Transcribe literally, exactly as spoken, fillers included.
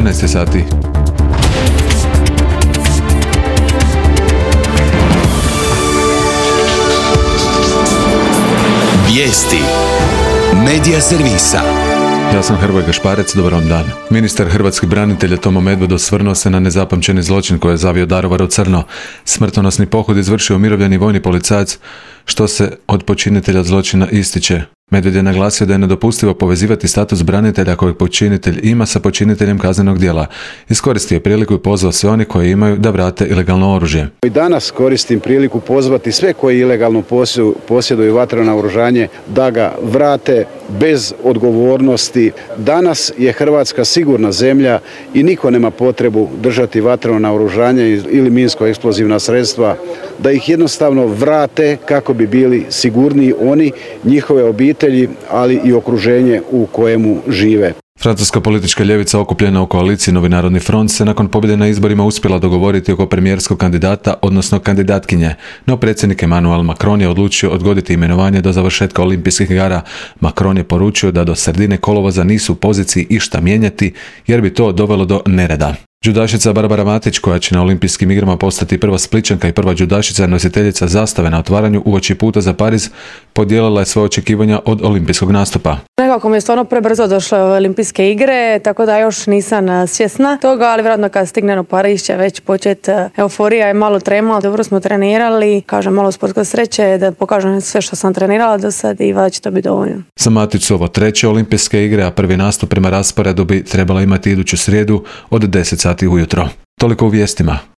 četrnaest sati. Vijesti Medija servisa. Ja sam Hrvoje Gašparec, dobar vam dan. Ministar hrvatskih branitelja Tomo Medved osvrnuo se na nezapamćeni zločin koji je zavio Daruvar u crno. Smrtonosni pohod izvršio umirovljeni vojni policajac, što se od počinitelja zločina ističe. Medved je naglasio da je nedopustivo povezivati status branitelja kojeg počinitelj ima sa počiniteljem kaznenog djela. Iskoristio je priliku i pozvao sve oni koji imaju da vrate ilegalno oružje. I danas koristim priliku pozvati sve koji ilegalno posjeduju vatreno naoružanje da ga vrate bez odgovornosti. Danas je Hrvatska sigurna zemlja i niko nema potrebu držati vatreno naoružanje ili minsko-eksplozivna sredstva, da ih jednostavno vrate kako bi bili sigurniji oni, njihove obitelji, ali i okruženje u kojemu žive. Francuska politička ljevica okupljena u koaliciji Novi narodni front se nakon pobjede na izborima uspjela dogovoriti oko premijerskog kandidata, odnosno kandidatkinje. No predsjednik Emmanuel Macron je odlučio odgoditi imenovanje do završetka olimpijskih igara. Macron je poručio da do sredine kolovoza nisu u poziciji išta mijenjati jer bi to dovelo do nereda. Džudašica Barbara Matić, koja će na olimpijskim igrama postati prva Splićanka i prva džudašica nositeljica zastave na otvaranju uoči puta za Pariz, podijelila je svoje očekivanja od olimpijskog nastupa. Nekako mi je stvarno prebrzo došlo ove olimpijske igre, tako da još nisam svjesna toga, ali vjerojatno kad stignem u Pariz će već početi euforija i malo trema. Dobro smo trenirali, kažem malo sportske sreće da pokažem sve što sam trenirala do sad i valjda će to biti dovoljno. Za Matić su ovo treće olimpijske igre, a prvi nastup prema rasporedu bi trebala imati iduću srijedu od deset sati ujutro. Toliko u vijestima.